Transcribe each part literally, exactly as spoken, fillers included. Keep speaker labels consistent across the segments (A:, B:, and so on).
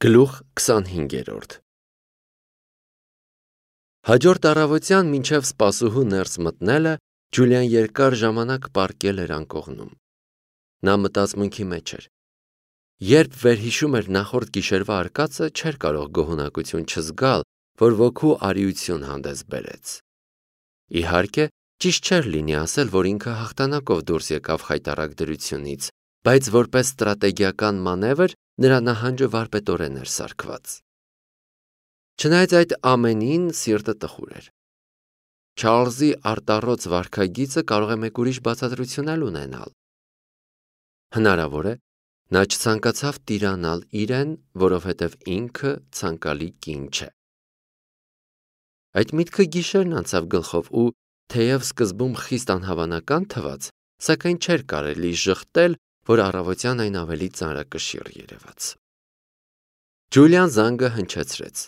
A: Գլուխ քսանհինգերորդ Հաջորդ առավոտյան մինչև սպասուհու ներս մտնելը Ջուլիան երկար ժամանակ պառկել էր անկողնում։ Նա մտածմունքի մեջ էր։ Երբ վերհիշում էր նախորդ գիշերվա արկածը, չէր կարող գոհունակություն չզգալ, որ ոգու արիություն հանդես բերեց։ Իհարկե, ճիշտ չէր լինի ասել, որ ինքը հաղթանակով դուրս եկավ խայտառակ դրությունից, բայց որպես ստրատեգիական մանևր նրա նահանջը վարպետորեն էր սարքված։ Չնայած այդ ամենին, սիրտը տխուր էր։ Չարլզի արտառոց վարքագիծը կարող է մեկ ուրիշ բացատրություն էլ ունենալ։ Հնարավոր է, նա չցանկացավ տիրանալ իրեն, որովհետև ինքը ցանկալի կին չէ։ Այդ միտքը գիշերն անցավ գլխով ու, թեև սկզբում խիստ անհավանական թվաց, սակայն չէր կարելի ժխտել, որ առավոտյան այն ավելի ծանրակշիռ երևաց։ Ջուլիան զանգը հնչեցրեց։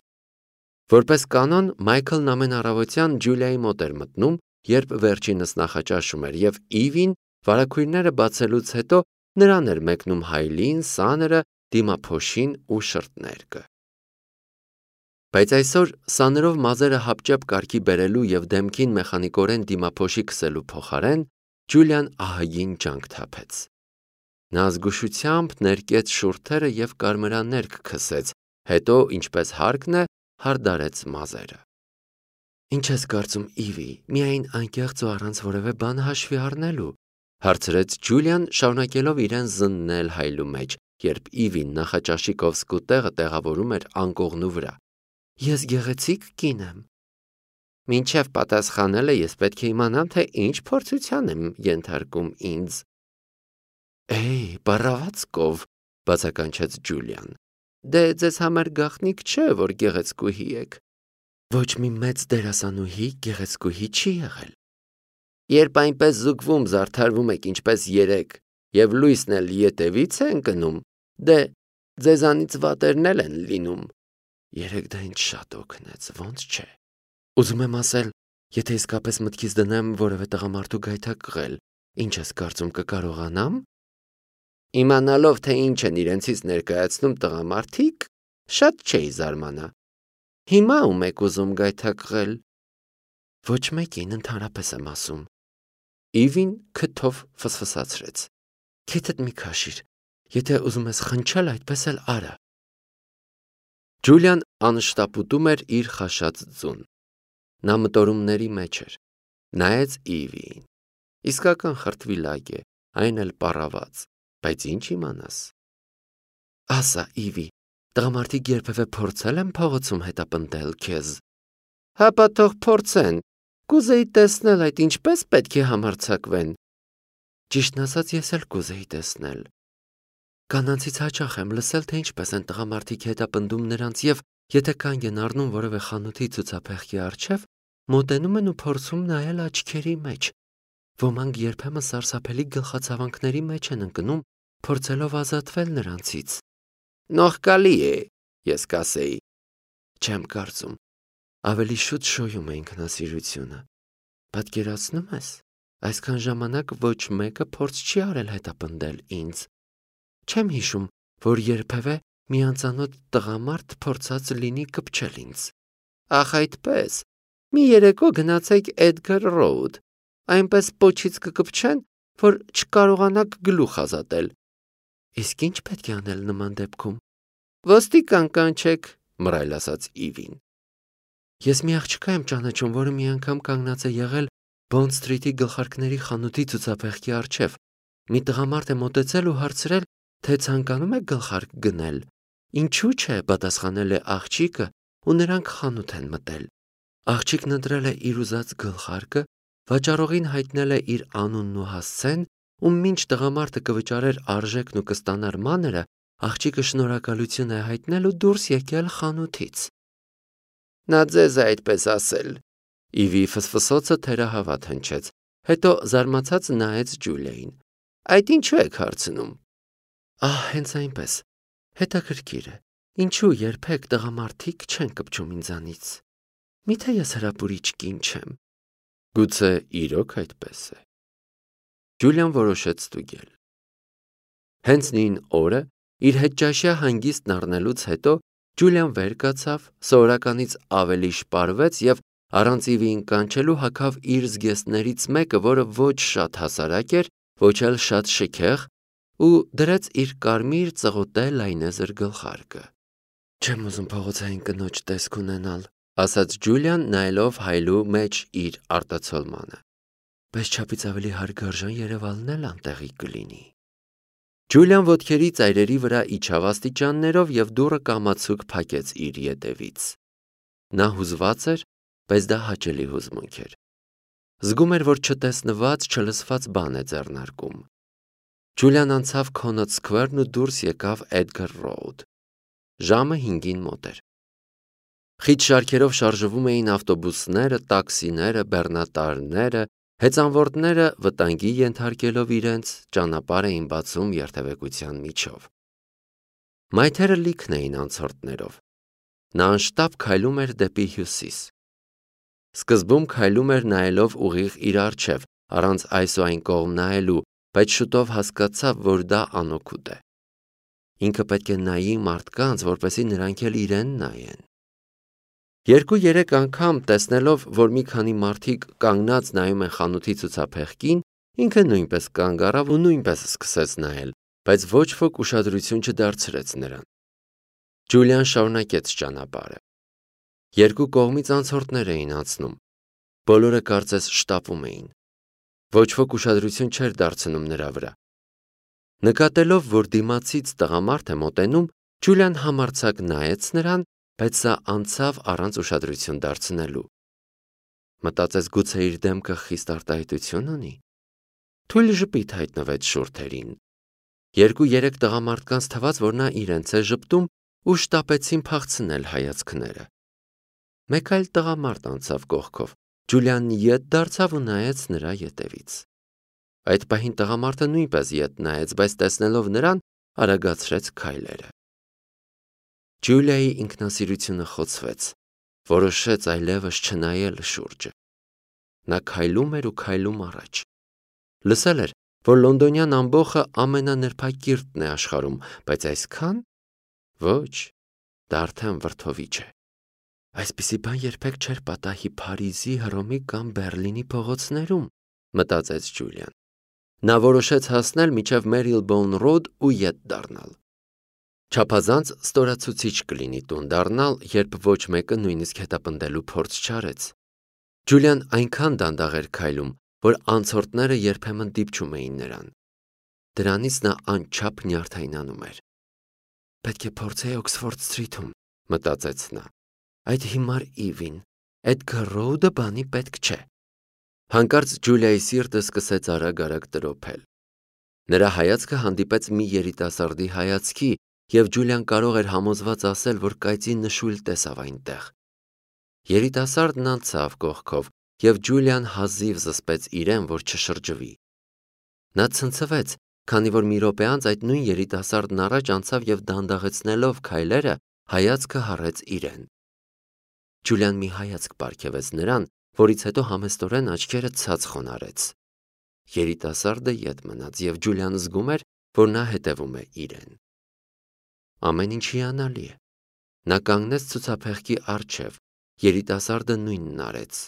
A: Որպես կանոն, Մայքլն ամեն առավոտյան Ջուլիայի մոտ էր մտնում, երբ վերջինս նախաճաշում էր, եւ Իվին վարագույրները բացելուց հետո նրան էր մեկնում հայլին, սաները, դիմափոշին ու շրթներկը։ Բայց այսօր սաներով մազերը հապճեպ կարգի բերելու եւ դեմքին մեխանիկորեն դիմափոշի քսելու փոխարեն Ջուլիան ահագին ջանք թափեց։ Նա զգուշությամբ ներկեց շուրթերը եւ կարմրաներկ քսեց, հետո, ինչպես հարկն է, հարդարեց մազերը։ Ինչ ես կարծում, Իվի, միայն անկեղծ ու առանց որևէ բան հաշվի առնելու, հարցրեց Ջուլիան, շարունակելով իրեն զննել հայլու մեջ, երբ Իվին նախաճաշի կովսկու տեղը տեղավորում էր անկողնու վրա։ Ես գեղեցիկ կին եմ։ Մինչև պատասխանելը ես պետք է իմանամ, թե ինչ փորձության եմ ենթարկում ինձ։ Էй, բառավացկով, բացականչեց Ջուլիան։ Դե ձեզ համար գաղտնիք չէ, որ գեղեցկուհի եք։ Ոչ մի մեծ դերասանուհի գեղեցկուհի չի եղել։ Երբ այնպես զուգվում զարդարվում եք ինչպես երեք, եւ լույսն էլ ետևից է ընկնում, դե ձեզանից վատերն էլ են լինում։ Երեք դա ինձ շատ օգնեց, ոնց չէ։ Ուզում եմ ասել, եթե իսկապես մտքից դնեմ որևէ տղամարդու գայթակղել, ինչ ես կարծում կկարողանամ։ Իմանալով, թե ինչ են իրենցից ներկայացնում տղամարդիկ, շատ չէի զարմանա։ Հիմա ում եք ուզում գայթակղել։ Ոչ մեկին, ընդհանրապես եմ ասում։ Իվին քթով ֆսֆսացրեց։ Քեթդ մի քաշիր, եթե ուզում ես խնչել, այդպես էլ արա։ Ջուլիան անշտապուտում էր իր խաշած ձուն։ Նա մտորումների մեջ էր։ Նայեց Իվիին։ Իսկական խրտվիլակ է, այն էլ պառաված, բայց ինչ իմանաս։ Ասա, Իվի, տղամարդիկ երբևէ փորձել են փողոցում հետապնդել քեզ։ Հապա թող փորձեն։ Կուզեի տեսնել այդ ինչպես պետք է համարձակվեն։ Ճիշտն ասած, ես էլ կուզեի տեսնել։ Կանանցից հաճախ եմ լսել, թե ինչպես են տղամարդիկ հետապնդում նրանց եւ եթե կանգ են առնում որևէ խանութի ցուցափեղկի առջև, մոտենում են ու փորձում նայել աչքերի մեջ։ Ոմանք երբեմն սարսափելի գլխացավանքների մեջ են ընկնում, փորձելով ազատվել նրանցից։ Նողկալի է, ես կասեի։ Չեմ կարծում։ Ավելի շուտ շոյում է ինքնասիրությունը։ Պատկերացնում ես, այսքան ժամանակ ոչ մեկը փորձ չի արել հետապնդել ինձ։ Չեմ հիշում, որ երբևէ մի անծանոթ տղամարդ փորձած լինի կպչել ինձ։ Ախ այդպես, մի երեկո գնացեք Էդգար Ռոուդ, այնպես պոչից կկպչեն, որ չկարողանաք գլուխ ազատել։ Իսկ ինչ պետք է անել նման դեպքում։ Ոստիկան կանչեք, մռայլ ասաց Իվին։ Ես մի աղջկա եմ ճանաչում, որը մի անգամ կանգնած է եղել Բոնդ Սթրիթի գլխարկների խանութի ցուցափեղկի առջև։ Մի տղամարդ է մոտեցել ու հարցրել, թե ցանկանում է գլխարկ գնել։ Ինչու՞ չէ, պատասխանել է աղջիկը, ու նրանք խանութ են մտել։ Աղջիկն ընտրել է իր ուզած գլխարկը, վաճառողին հայտնել է իր անունն ու հասցեն, ու մինչ տղամարդը կվճարեր արժեքն ու կստանար մանրը, աղջիկը շնորհակալություն է հայտնել ու դուրս եկել խանութից։ Նա ձեզ է այդպես ասել։ Իվի ֆսֆսոցը թերահավատ հնչեց, հետո զարմացած նայեց Ջուլիային։ Այդ ինչու եք հարցնում։ Ահ, հենց այնպես։ Հետաքրքիր է, ինչու երբեք տղամարդիկ չեն կպչում ինձանից։ Միթե ես հրապուրիչ կին չեմ։ Գուցե իրոք այդպես է։ Ջուլիան որոշեց ստուգել։ Հենց նույն օրը Իր հետճաշյա հանգիստն առնելուց հետո Ջուլիան վեր կացավ, սովորականից ավելի շպարվեց եւ առանց Իվիին կանչելու հագավ իր զգեստներից մեկը, որը ոչ շատ հասարակ էր, ոչ էլ շատ շքեղ, ու դրեց իր կարմիր ծղոտե լայնեզր գլխարկը։ «Չեմ ուզում փողոցային կնոջ տեսք ունենալ», ասաց Ջուլիան, նայելով Հայլու մեջ իր արտացոլմանը։ «Բայց չափից ավելի հարգարժան Երևանն էլ անտեղի կլինի»։ Ջուլիան ոտքերի ծայրերի վրա իջավ աստիճաններով եւ դուռը կամացուկ փակեց իր ետևից։ Նա հուզված էր, բայց դա հաճելի հուզմունք էր։ Զգում էր, որ չտեսնված, չլսված բան է ձեռնարկում։ Ջուլիան անցավ Connaught Square-ն ու դուրս եկավ Edgar Road։ Ժամը հինգին մոտ էր։ Խիտ շարքերով շարժվում էին ավտոբուսները, տաքսիները, բեռնատարները, հեծանվորդները վտանգի ենթարկելով իրենց ճանապարհ էին բացում երթևեկության միջով։ Մայթերը լիքն էին անցորդներով։ Նա անշտապ քայլում էր դեպի հյուսիս։ Սկզբում քայլում էր նայելով ուղիղ իր առջև, առանց այս ու այն կողմ նայելու, բայց շուտով հասկացավ, որ դա անօգուտ է։ Ինքը պետք է նայի մարդկանց, որպեսզի նրանք էլ իրեն նայեն։ Երկու-երեք անգամ տեսնելով, որ մի քանի մարդիկ կանգնած նայում են խանութի ցուցափեղկին, ինքը նույնպես կանգ առավ ու նույնպես սկսեց նայել, բայց ոչ ոք ուշադրություն չդարձրեց նրան։ Ջուլիան շարունակեց ճանապարհը։ Երկու կողմից անցորդներ էին անցնում։ Բոլորը կարծես շտապում էին։ Ոչ ոք ուշադրություն չէր դարձնում նրա վրա։ Նկատելով, որ դիմացից տղամարդ է մոտենում, Ջուլիան համարձակ նայեց նրան, բայց սա անցավ առանց ուշադրություն դարձնելու։ Մտածեց, գուցե իր դեմքը խիստ արտահայտություն ունի։ Թույլ ժպիտ հայտնվեց շուրթերին։ Երկու-երեք տղամարդկանց թվաց, որ նա իրենց է ժպտում ու շտապեցին փախցնել հայացքները։ Մեկ այլ տղամարդ անցավ կողքով։ Ջուլիան ետ դարձավ ու նայեց նրա ետևից։ Այդ պահին տղամարդը նույնպես ետ նայեց, բայց տեսնելով նրան, արագացրեց քայլերը։ Ջուլիայի ինքնասիրությունը խոցվեց, որոշեց այլևս չնայել շուրջը։ Նա քայլում էր ու քայլում առաջ։ Լսել էր, որ լոնդոնյան ամբոխը ամենանրբակիրթն է աշխարհում, բայց այսքան… Ոչ, դա արդեն վրդովիչ է։ Այսպիսի բան երբեք չէր պատահի Փարիզի, Հռոմի կամ Բեռլինի փողոցներում, մտածեց Ջուլիան։ Նա որոշեց հասնել մինչև Marylebone Road ու ետ դառնալ։ Չափազանց ստորացուցիչ կլինի տուն դառնալ, երբ ոչ մեկը նույնիսկ հետապնդելու փորձ չարեց։ Ջուլիան այնքան դանդաղ էր քայլում, որ անցորդները երբեմն դիպչում էին նրան։ Դրանից նա անչափ նյարդայնանում էր։ Պետք է փորձեի Օքսֆորդ Սթրիթում, մտածեց նա։ Այդ հիմար Իվին, Edgar Road-ը բանի պետք չէ։ Հանկարծ Ջուլիայի սիրտը սկսեց արագ-արագ տրոփել։ Նրա հայացքը հանդիպեց մի երիտասարդի հայացքի, եւ Ջուլիան կարող էր համոզված ասել, որ կայծի նշույլ տեսավ այնտեղ։ Երիտասարդն անցավ կողքով, եւ Ջուլիան հազիվ զսպեց իրեն, որ չշրջվի։ Նա ցնցվեց, քանի որ մի րոպե անց այդ նույն երիտասարդն առաջ անցավ եւ դանդաղեցնելով քայլերը, հայացքը հառեց իրեն։ Ջուլիան մի հայացք պարգևեց նրան, որից հետո համեստորեն աչքերը ցած խոնարհեց։ Երիտասարդը ետ մնաց եւ Ջուլիան զգում էր, որ նա հետևում է իրեն։ Ամեն ինչ հիանալի է։ Նա կանգնեց ցուցափեղկի առջև, երիտասարդը նույնն արեց։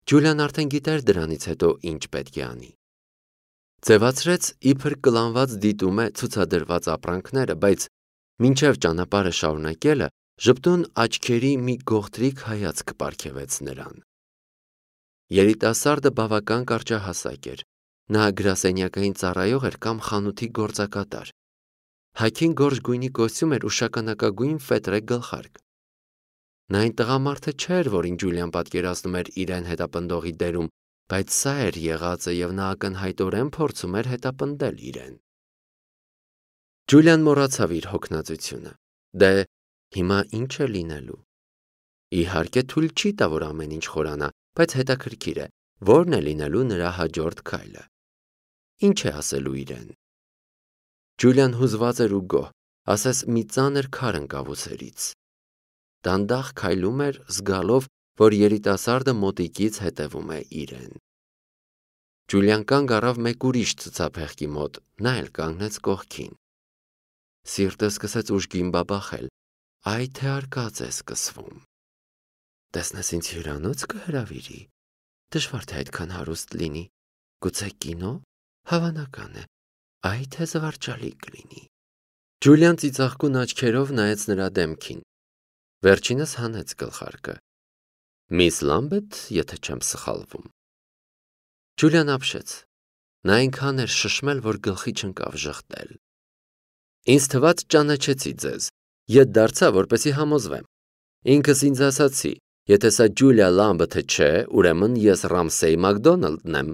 A: Ջուլիան արդեն գիտեր դրանից հետո ինչ պետք է անի։ Ձևացրեց, իբր կլանված դիտում է ցուցադրված ապրանքները, բայց մինչև ճանապարհը շարունակելը ժպտուն աչքերի մի գողտրիկ հայացք պարգևեց նրան։ Երիտասարդը բավական կարճահասակ էր։ Նա գրասենյակային ծառայող էր կամ խանութի գործակատար։ Հագին գորշ գույնի կոստյում էր ու շագանակագույն ֆետրե գլխարկ։ Նա այն տղամարդը չէր, որին Ջուլիան պատկերացնում էր իրեն հետապնդողի դերում, բայց սա էր եղածը եւ նա ակնհայտորեն փորձում էր հետապնդել իրեն։ Ջուլիան մոռացավ իր հոգնածությունը։ Դե, հիմա ինչ է լինելու։ Իհարկե թույլ չի տա, որ ամեն ինչ խորանա, բայց հետաքրքիր է, ո՞րն է լինելու նրա հաջորդ քայլը։ Ինչ է ասելու իրեն։ Ջուլիան հուզված էր ու գոհ, ասես մի ծանր քար ընկավ ուսերից։ Դանդաղ քայլում էր, զգալով, որ երիտասարդը մոտիկից հետևում է իրեն։ Ջուլիան կանգ առավ մեկ ուրիշ ցուցափեղկի մոտ, նա էլ կանգնեց կողքին։ Սիրտը սկսեց ուժգին բաբախել։ Այ թե արկած է սկսվում։ Տեսնես ինձ հյուրանոց կհրավիրի։ Դժվար թե այդքան հարուստ լինի։ Գուցե կինո։ Հավանական է։ Այ թե զվարճալի կլինի։ Ջուլիան ծիծաղկուն աչքերով նայեց նրա դեմքին։ Վերջինս հանեց գլխարկը։ Միս Լամբեթ, եթե չեմ սխալվում։ Ջուլիան ապշեց։ Նա այնքան էր շշմել, որ գլխի չընկավ ժխտել։ Ինձ թվաց ճանաչեցի ձեզ։ Ետ դարձա, որպեսի համոզվեմ։ Ինքս ինձ ասացի, եթե սա Ջուլիա Լամբեթը չէ, ուրեմն ես Ռամսեյ Մակդոնալդն եմ։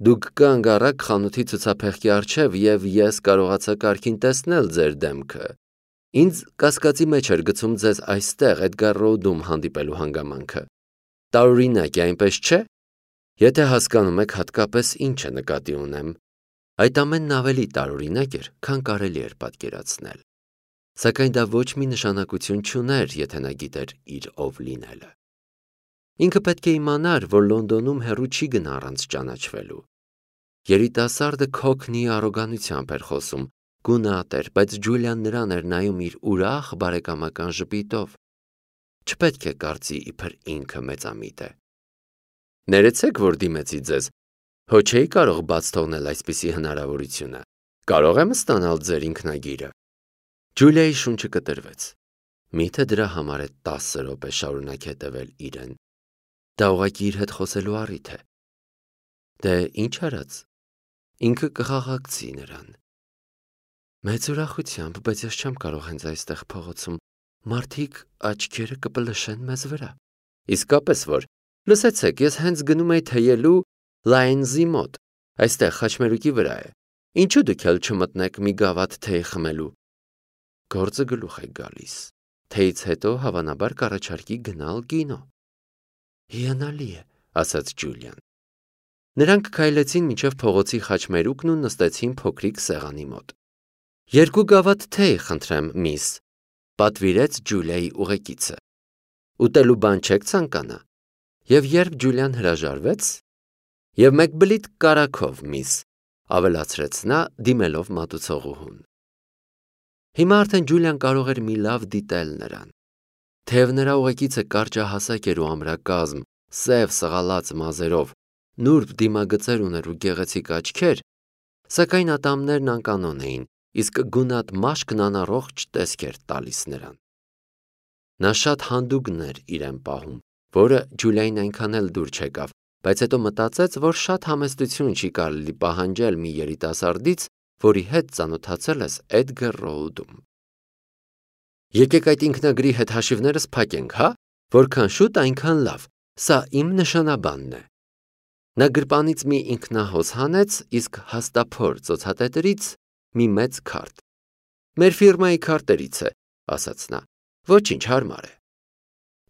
A: Դուք կանգ առաք խանութի ցուցափեղկի առջև և ես կարողացա կարգին տեսնել ձեր դեմքը։ Ինձ կասկածի մեջ էր գցում ձեզ այստեղ Էդգար Ռոուդում հանդիպելու հանգամանքը։ Տարօրինակ է, այնպես չէ։ Եթե հասկանում եք հատկապես ինչ է նկատի ունեմ։ Այդ ամենն ավելի տարօրինակ էր, քան կարելի էր պատկերացնել։ Սակայն դա ոչ մի նշանակություն չուներ, եթե նա գիտեր իր ով լինելը։ Ինքը պետք է իմանար, որ Լոնդոնում հեռու չի գնա առանց ճանաչվելու։ Երիտասարդը քոքնի առոգանությամբ էր խոսում, գունատ էր, բայց Ջուլիան նրան էր նայում իր ուրախ բարեկամական ժպիտով։ Չպետք է կարծի, իբր ինքը մեծամիտ է։ Ներեցեք, որ դիմեցի ձեզ։ Հո չէի կարող բաց թողնել այսպիսի հնարավորությունը։ Կարող եմ ստանալ ձեր ինքնագիրը։ Ջուլիայի շունչը կտրվեց։ Միթե դրա համար է տասը րոպե շարունակ հետևել իրեն։ Դա ուղղակի իր հետ խոսելու առիթ է։ Դե ինչ արած։ Ինքը կխաղաղցի նրան։ Մեծ ուրախությամբ, բայց ես չեմ կարող հենց այստեղ փողոցում։ Մարդիկ աչքերը կպլշեն մեզ վրա։ Իսկապես որ, լսեցեք, ես հենց գնում էի թեյելու Լայնզի մոտ, այստեղ խաչմերուկի վրա է։ Ինչու դուք էլ չմտնեք մի գավաթ թեյ խմելու։ Գործը գլուխ է գալիս։ Թեյից հետո հավանաբար կառաջարկի գնալ կինո։ Հիանալի է, ասաց Ջուլիան։ Նրանք քայլեցին մինչև փողոցի խաչմերուկն ու նստեցին փոքրիկ սեղանի մոտ։ Երկու գավաթ թեյ, խնդրեմ, միս, պատվիրեց Ջուլիայի ուղեկիցը։ Ուտելու բան չեք ցանկանա։ Եվ երբ Ջուլիան հրաժարվեց, և մեկ բլիթ կարագով, միս, ավելացրեց նա, դիմելով մատուցողուհուն։ Հիմա արդեն Ջուլիան կարող էր մի լավ դիտել նրան։ Թեև նրա ուղեկիցը կարճահասակ էր ու ամրակազմ, սև սղալած մազերով, նուրբ դիմագծեր ուներ ու գեղեցիկ աչքեր, սակայն ատամներն անկանոն էին, իսկ գունատ մաշկն անառողջ տեսք էր տալիս նրան։ Նա շատ հանդուգն էր իրեն պահում, որը Ջուլիային այնքան էլ դուր չեկավ, բայց հետո մտածեց, որ շատ համեստություն չի կարելի պահանջել մի երիտասարդից, որի հետ ծանոթացել ես Էդգար Ռոուդում։ Եկեք այդ ինքնագրի հետ հաշիվներս փակենք, հա, որքան շուտ այնքան լավ, սա իմ նշանաբանն է։ Նա գրպանից մի ինքնահոս հանեց, իսկ հաստափոր ծոցատետրից մի մեծ քարտ։ Մեր ֆիրմայի քարտերից է, ասաց նա։ Ոչինչ, հարմար է։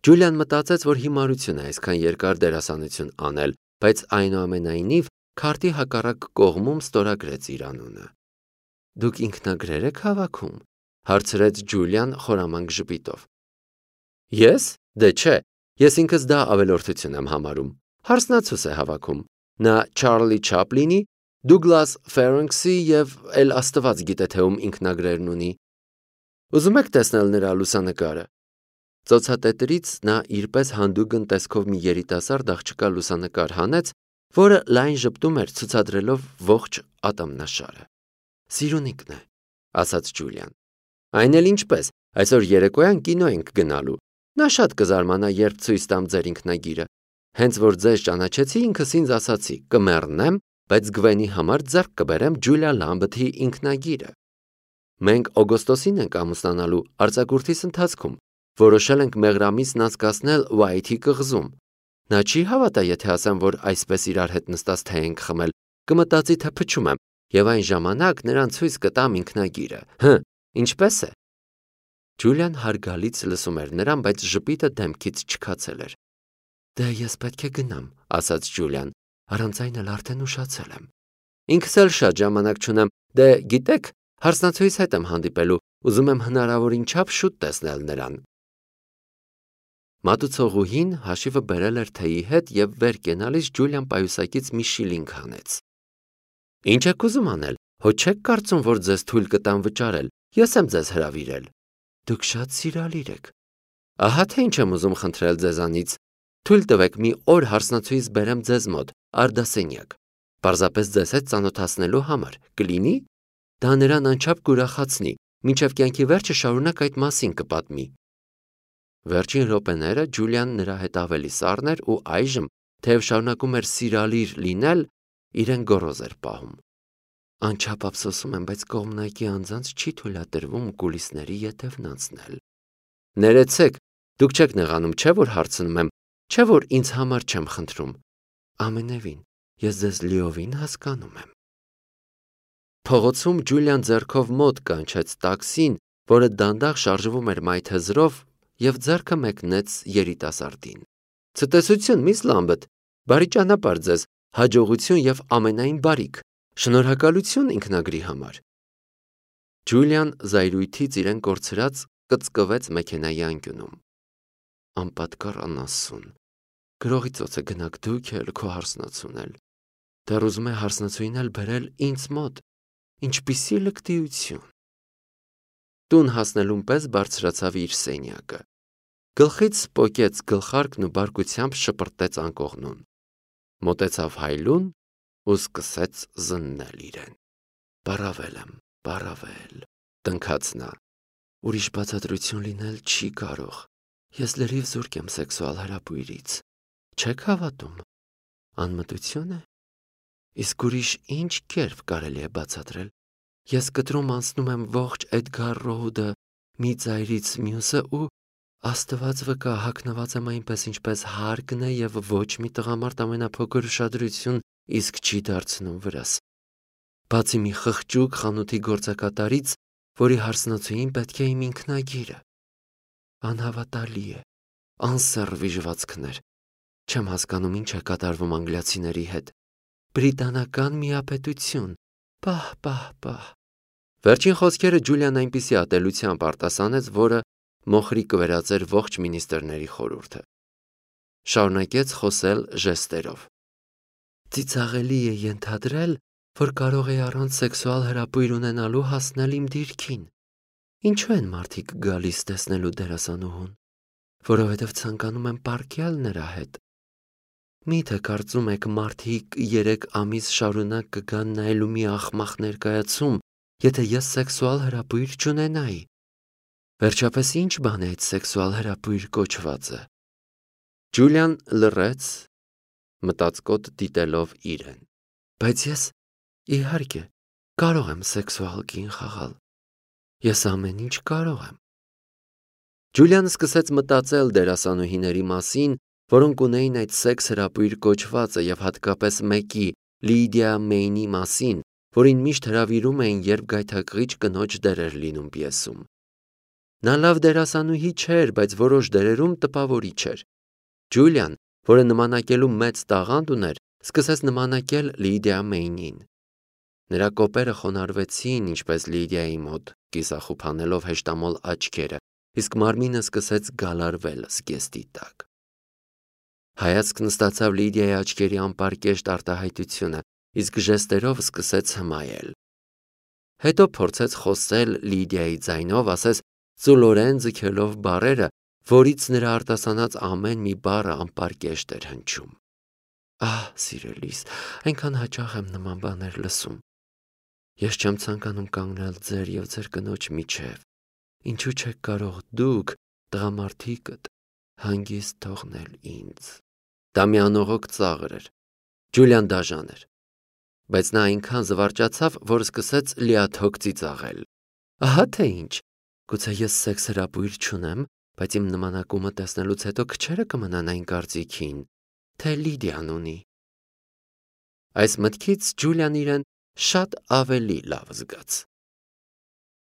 A: Ջուլիան մտածեց, որ հիմարություն է այսքան երկար դերասանություն անել, բայց այնուամենայնիվ քարտի հակառակ կողմում ստորագրեց իր անունը։ Դուք ինքնագրեր եք հավաքում, հարցրեց Ջուլիան խորամանկ ժպիտով։ Ես։ Դե չէ, ես ինքս դա ավելորդություն եմ համարում։ Հարսնացուս է հավաքում։ Նա Չարլի Չապլինի, Դուգլաս Ֆերենքսի և էլ աստված գիտե թե ում ինքնագրերն ունի։ Ուզում եք տեսնել նրա լուսանկարը։ Ծոցատետրից նա իրպես հանդուգն տեսքով մի երիտասարդ աղջկա լուսանկար հանեց, որը լայն ժպտում էր ցուցադրելով ողջ ատամնաշարը։ Սիրունիկն է, ասաց Ջուլիան։ Այն էլ ինչպես, այսօր երեկոյան կինո ենք գնալու։ Նա շատ կզարմանա, երբ ցույց տամ ձեր ինքնագիրը։ Հենց որ ձեզ ճանաչեցի, ինքս ինձ ասացի, կմեռնեմ, բայց Գվենի համար ձեռք կբերեմ Ջուլիա Լամբեթի ինքնագիրը։ Մենք օգոստոսին ենք ամուսնանալու արձակուրդիս ընթացքում, որոշել ենք մեղրամիսն անցկացնել Ուայթի կղզում։ Նա չի հավատա, եթե ասեմ, որ այսպես իրար հետ նստած թեյ ենք խմել, կմտածի, թե փչում եմ, և այն ժամանակ նրան ցույց կտամ ինքնագիրը։ Հը, ինչպես է։ Ջուլիան հարգալից լսում էր նրան, բայց ժպիտը դեմքից չքացել էր։ Դե ես պետք է գնամ, ասաց Ջուլիան, առանց այն էլ արդեն ուշացել եմ։ Ինքս էլ շատ ժամանակ չունեմ, դե գիտեք, հարսնացուիս հետ եմ հանդիպելու, ուզում եմ հնարավորին չափ շուտ տեսնել նրան։ Մատուցողուհին հաշիվը բերել էր թեյի հետ և վեր կենալիս Ջուլիան պայուսակից մի շիլինգ հանեց։ Ինչ եք ուզում անել, հո չեք կարծում, որ ձեզ թույլ կտամ վճարել, Ես եմ ձեզ հրավիրել։ Դուք շատ սիրալիր եք։ Ահա թե ինչ եմ ուզում խնդրել ձեզանից։ Թույլ տվեք մի օր հարսնացուից բերեմ ձեզ մոտ, արդասենյակ։ Պարզապես ձեզ հետ ծանոթացնելու համար, կլինի։ Դա նրան անչափ կուրախացնի, մինչև կյանքի վերջը շարունակ այդ մասին կպատմի։ Վերջին րոպեները Ջուլիան նրա հետ ավելի սառն էր ու այժմ, թեև շարունակում էր սիրալիր լինել, իրեն գոռոզ էր պահում։ Անչափ ափսոսում եմ, բայց կողմնակի անձանց չի թույլատրվում կուլիսների ետևն անցնել։ Ներեցեք, դուք չեք նեղանում, չէ՞ որ հարցնում եմ, չէ՞ որ ինձ համար չեմ խնդրում։ Ամենևին, ես ձեզ լիովին հասկանում եմ։ Փողոցում Ջուլիան ձեռքով մոտ կանչեց տաքսին, որը դանդաղ շարժվում էր մայթեզրով, եւ ձեռքը մեկնեց երիտասարդին։ Ցտեսություն, միս Լամբետ, բարի ճանապարհ ձեզ, հաջողություն եւ ամենայն բարիք։ Շնորհակալություն ինքնագրի համար։ Ջուլիան զայրույթից իրեն կորցրած կծկվեց մեքենայի անկյունում։ Անպատկառ անասուն։ Գրողի ծոցը գնաք դուք էլ քո հարսնացուն էլ։ Դեռ ուզում է հարսնացուին էլ բերել ինձ մոտ։ Ինչպիսի լկտիություն։ Տուն հասնելուն պես բարձրացավ իր սենյակը։ Գլխից պոկեց գլխարկն ու բարկությամբ շպրտեց անկողնուն։ Մոտեցավ հայլուն ու սկսեց զննել իրեն։ Պարավել եմ, պարավել, տնքաց նա։ Ուրիշ բացատրություն լինել չի կարող։ Ես լրիվ զուրկ եմ սեքսուալ հրապույրից։ Չեք հավատում։ Անմտություն է։ Իսկ ուրիշ ինչ կերպ կարելի է բացատրել։ Ես կտրում անցնում եմ ողջ Էդգար Ռոուդը մի ծայրից մյուսը ու Աստված վկա հագնված եմ այնպես ինչպես հարկն է եւ ոչ մի տղամարդ ամենափոքր ուշադրություն իսկ չի դարձնում վրաս։ Բացի մի խղճուկ խանութի գործակատարից, որի հարսնացուին պետք է իմ ինքնագիրը։ Անհավատալի է, անսերվիժվածքներ։ Չեմ հասկանում ինչ է կատարվում անգլիացիների հետ։ Բրիտանական միապետություն, պահ, պահ, պահ։ Վերջին խոսքերը Ջուլիան այնպիսի ատելությամբ արտասանեց, որը մոխրի կվերածեր ողջ մինիստրների խորհուրդը։ Շարունակեց խոսել ժեստերով։ Ծիծաղելի է ենթադրել, որ կարող է առանց սեքսուալ հրապույր ունենալու հասնել իմ դիրքին։ Ինչու են մարդիկ գալիս տեսնելու դերասանուհուն, որովհետև ցանկանում են պառկյալ նրա հետ։ Միթե կարծում եք մարդիկ երեք ամիս շարունակ կգան նայելու մի աղմախ ներկայացում, եթե ես սեքսուալ հրապույր չունենայի։ Վերջապես ինչ բան է այդ սեքսուալ հրապույր կոչվածը։ Ջուլիան լռեց, մտածկոտ դիտելով իրեն։ Բայց ես, իհարկե, կարող եմ սեքսուալ կին խաղալ։ Ես ամեն ինչ կարող եմ։ Ջուլիան սկսեց մտածել դերասանուհիների մասին, որոնք ունեին այդ սեքս հրապույր կոչվածը եւ հատկապես մեկի, Լիդիա Մեյնի մասին, որին միշտ հրավիրում էին, երբ գայթակղիչ կնոջ դեր էր լինում պիեսում։ Նա լավ դերասանուհի չէր, բայց որոշ դերերում տպավորիչ էր։ Ջուլիան, որը նմանակելու մեծ տաղանդ ուներ, սկսեց նմանակել Լիդիա Մեյնին։ Նրա կոպերը խոնարհվեցին, ինչպես Լիդիայի մոտ, կիսախուփանելով հեշտամոլ աչքերը, իսկ մարմինը սկսեց գալարվել զգեստի տակ։ Հայացքն ստացավ Լիդիայի աչքերի անպարկեշտ արտահայտությունը, իսկ ժեստերով սկսեց հմայել։ Հետո փորձեց խոսել Լիդիայի ձայնով, ասես ծուլորեն ձգելով բառերը, որից նրա արտասանած ամեն մի բառը անպարկեշտ էր հնչում։ Ահ, սիրելիս, այնքան հաճախ եմ նման բաներ լսում։ Ես չեմ ցանկանում կանգնել ձեր եւ ձեր կնոջ միջև։ Ինչու չեք կարող դուք, տղամարդիկդ, հանգիստ թողնել ինձ։ Դա մի անողոք ծաղր էր։ Ջուլիան դաժան էր։ Բայց նա այնքան զվարճացավ, որ սկսեց լիաթոք ծիծաղել։ Ահա թե ինչ։ Գուցե ես սեքս հրապույր չունեմ, բայց իմ նմանակումը տեսնելուց հետո քչերը կմնան այն կարծիքին, թե Լիդիան ունի։ Այս մտքից Ջուլիան իրեն շատ ավելի լավ զգաց։